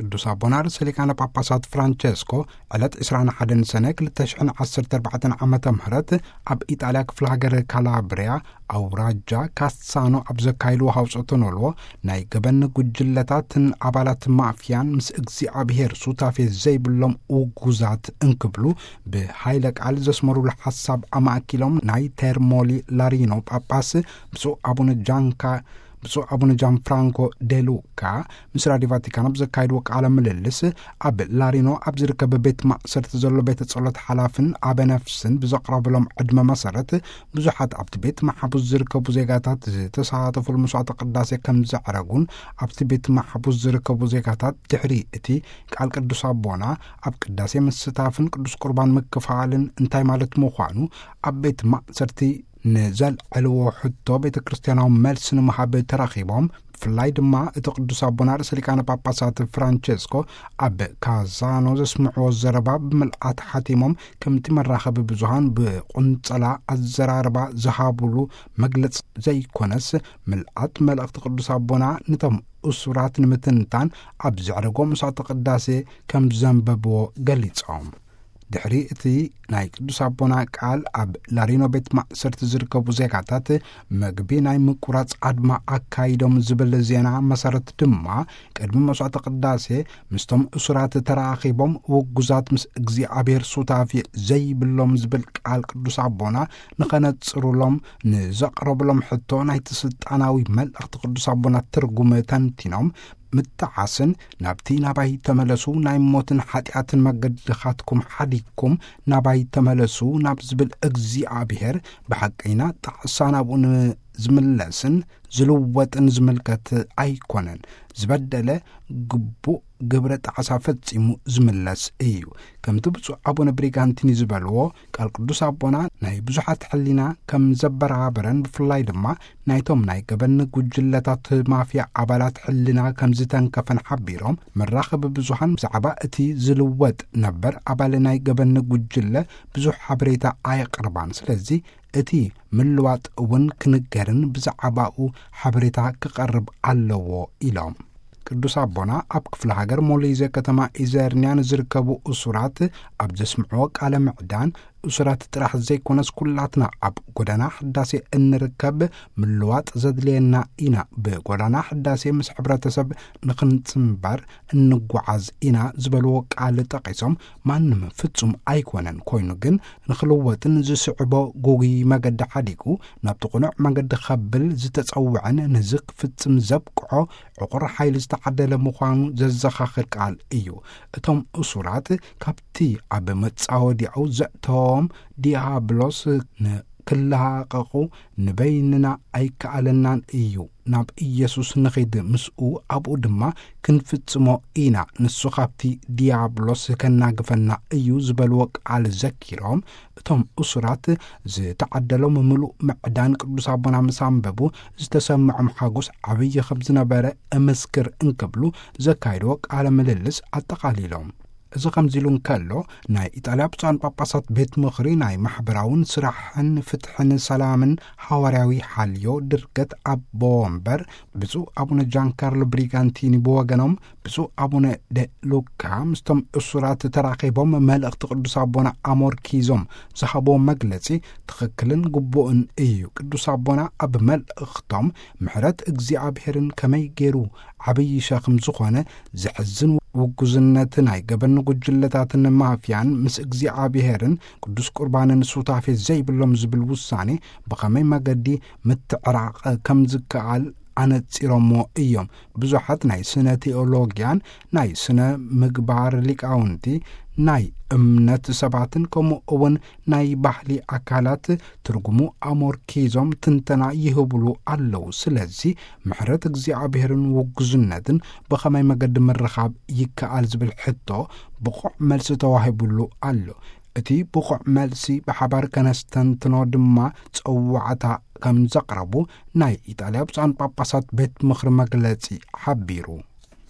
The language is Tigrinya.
ቅዱስ ኣቦና ርእሰ ሊቃነ ጳጳሳት ፍራንቸስኮ ዕለት ዕስራን ሓደን ሰነ ክልተ ሽሕን ዓሰርተ ኣርባዕተን ዓመተ ምህረት ኣብ ኢጣልያ ክፍለ ሃገር ካላብሪያ ኣውራጃ ካሳኖ ኣብ ዘካይድዎ ሃውጾተ ኖልዎ፣ ናይ ገበን ጉጅለታትን ኣባላት ማፍያን ምስ እግዚኣብሔር ሱታፌ ዘይብሎም ውጉዛት እንክብሉ ብሃይለ ቃል ዘስመሩሉ ሓሳብ ኣማእኪሎም፣ ናይ ቴርሞሊ ላሪኖ ጳጳስ ብፁዕ ኣቡነ ጃንካ ብፁዕ ኣቡነ ጃን ፍራንኮ ዴሉካ ምስ ራዲዮ ቫቲካን ኣብ ዘካይድዎ ቃለ ምልልስ፣ ኣብ ላሪኖ ኣብ ዝርከብ ቤት ማእሰርቲ ዘሎ ቤተ ጸሎት ሓላፍን ኣበ ነፍስን ብዘቕረብሎም ዕድመ መሰረት፣ ብዙሓት ኣብቲ ቤት ማሕቡስ ዝርከቡ ዜጋታት ዝተሳተፉሉ መስዋዕተ ቅዳሴ ከም ዘዕረጉን፣ ኣብቲ ቤት ማሕቡስ ዝርከቡ ዜጋታት ድሕሪ እቲ ቃል ቅዱስ ኣቦና ኣብ ቅዳሴ ምስታፍን ቅዱስ ቁርባን ምክፋልን እንታይ ማለት ምዃኑ ኣብ ቤት ማእሰርቲ ንዘልዐልዎ ሕቶ ቤተ ክርስቲያናዊ መልሲ ንምሃብ ተራኺቦም፣ ብፍላይ ድማ እቲ ቅዱስ ኣቦና ርእሰ ሊቃነ ጳጳሳት ፍራንቸስኮ ኣብ ካዛኖ ዘስምዕዎ ዘረባ ብምልኣት ሓቲሞም፣ ከምቲ መራኸቢ ብዙሃን ብቁንጸላ ኣዘራርባ ዝሃብሉ መግለጽ ዘይኮነስ፣ ምልኣት መልእኽቲ ቅዱስ ኣቦና ነቶም እሱራት ንምትንታን ኣብ ዘዕረጎ መስዋዕተ ቅዳሴ ከም ዘንበብዎ ገሊጾም። ድሕሪ እቲ ናይ ቅዱስ ኣቦና ቃል፣ ኣብ ላሪኖ ቤት ማእሰርቲ ዝርከቡ ዜጋታት መግቢ ናይ ምቁራጽ ኣድማ ኣካይዶም ዝብል ዜና መሰረት ድማ፣ ቅድሚ መስዋዕተ ቅዳሴ ምስቶም እሱራት ተራኺቦም፣ ውጉዛት ምስ እግዚኣብሔር ሱታፌ ዘይብሎም ዝብል ቃል ቅዱስ ኣቦና ንኸነጽሩሎም ንዘቕረብሎም ሕቶ፣ ናይቲ ስልጣናዊ መልእኽቲ ቅዱስ ኣቦና ትርጉም ተንቲኖም፣ ምጥዓስን፣ ናብቲ ናባይ ተመለሱ፣ ናይ ሞትን ሓጢኣትን መገድኻትኩም ሓዲግኩም ናባይ ተመለሱ ናብ ዝብል እግዚኣብሔር፣ ብሓቀይና ጣዕሳ ናብኡ ንዝምለስን ዝልወጥን ዝምልከት ኣይኮነን። ዝበደለ ግቡእ ግብረ ጣዕሳ ፈጺሙ ዝምለስ እዩ። ከምቲ ብፁዕ ኣቡነ ብሪጋንቲኒ ዝበልዎ፣ ቃል ቅዱስ ኣቦና ናይ ብዙሓት ሕሊና ከም ዘበራበረን፣ ብፍላይ ድማ ናይቶም ናይ ገበን ጉጅለታት ማፍያ ኣባላት ሕልና ከም ዝተንከፈን ሓቢሮም፣ መራኸቢ ብዙሃን ብዛዕባ እቲ ዝልወጥ ነበር ኣባል ናይ ገበን ጉጅለ ብዙሕ ሓበሬታ ኣየቕርባን። ስለዚ እቲ ምልዋጥ እውን ክንገርን ብዛዕባኡ ሓበሬታ ክቐርብ ኣለዎ ኢሎም። ቅዱስ ኣቦና ኣብ ክፍለ ሃገር ሞሊዘ ከተማ ኢዘርንያ ንዝርከቡ እሱራት ኣብ ዘስምዕዎ ቃለ ምዕዳን፣ እሱራት ጥራሕ ዘይኮነስ ኩላትና ኣብ ጎዳና ሕዳሴ እንርከብ ምልዋጥ ዘድልየና ኢና። ብጎዳና ሕዳሴ ምስ ሕብረተሰብ ንኽንጽንበር እንጓዓዝ ኢና ዝበልዎ ቃል ጠቒሶም፣ ማንም ፍጹም ኣይኮነን፣ ኮይኑ ግን ንኽልወጥን ዝስዕቦ ጎጉይ መገዲ ሓዲጉ ናብቲ ቅኑዕ መገዲ ከብል ዝተጸውዐን ነዚ ክፍጽም ዘብቅዖ ዕቑር ሓይሊ ዝተዓደለ ምዃኑ ዘዘኻኽር ቃል እዩ። እቶም እሱራት ካብቲ ኣብ መጻወዲያኡ ዘእተዎም ዲያብሎስ ንክላቐቑ ንበይንና ኣይከኣለናን እዩ። ናብ ኢየሱስ ንኺድ፣ ምስኡ ኣብኡ ድማ ክንፍጽሞ ኢና። ንሱ ካብቲ ዲያብሎስ ከናግፈና እዩ ዝበልዎ ቃል ዘኪሮም፣ እቶም እሱራት ዝተዓደሎም ምሉእ ምዕዳን ቅዱስ ኣቦና ምስ ኣንበቡ ዝተሰምዖም ሓጎስ ዓብዪ ከም ዝነበረ እምስክር እንክብሉ ዘካየድዎ ቃለ ምልልስ ኣጠቓሊሎም። እዚ ከምዚ ኢሉ እንከሎ፣ ናይ ኢጣልያ ብፁዓን ጳጳሳት ቤት ምኽሪ ናይ ማሕበራውን ስራሕን ፍትሕን ሰላምን ሓዋርያዊ ሓልዮ ድርገት ኣቦ ወንበር ብፁዕ ኣቡነ ጃን ካርሎ ብሪጋንቲኒ ብወገኖም፣ ብፁዕ ኣቡነ ደ ሉካ ምስቶም እሱራት ተራኺቦም መልእኽቲ ቅዱስ ኣቦና ኣሞርኪዞም ዝሃብዎ መግለጺ ትኽክልን ግቡእን እዩ። ቅዱስ ኣቦና ኣብ መልእኽቶም ምሕረት እግዚኣብሔርን ከመይ ገይሩ ዓብዪ ሸኽም ዝኾነ ዘሕዝን ውጉዝነት ናይ ገበን ጉጅለታትን ማፍያን ምስ እግዚኣብሔርን ቅዱስ ቁርባንን ሱታፌ ዘይብሎም ዝብል ውሳኔ ብኸመይ መገዲ ምትዕራቕ ከም ዝከኣል ኣነጺሮሞ እዮም። ብዙሓት ናይ ስነ ቴኦሎጊያን ናይ ስነ ምግባር ሊቃውንቲ፣ ናይ እምነት ሰባትን ከምኡ እውን ናይ ባህሊ ኣካላት ትርጉሙ ኣሞርኪዞም ትንተና ይህብሉ ኣለዉ። ስለዚ ምሕረት እግዚኣብሔርን ውጉዝነትን ብኸመይ መገዲ ምርኻብ ይከኣል ዝብል ሕቶ ብቑዕ መልሲ ተዋሂቡሉ ኣሎ። እቲ ብቑዕ መልሲ ብሓባር ከነስተንትኖ ድማ ጸዋዕታ ከም ዘቕረቡ ናይ ኢጣልያ ብፁዓን ጳጳሳት ቤት ምኽሪ መግለጺ ሓቢሩ።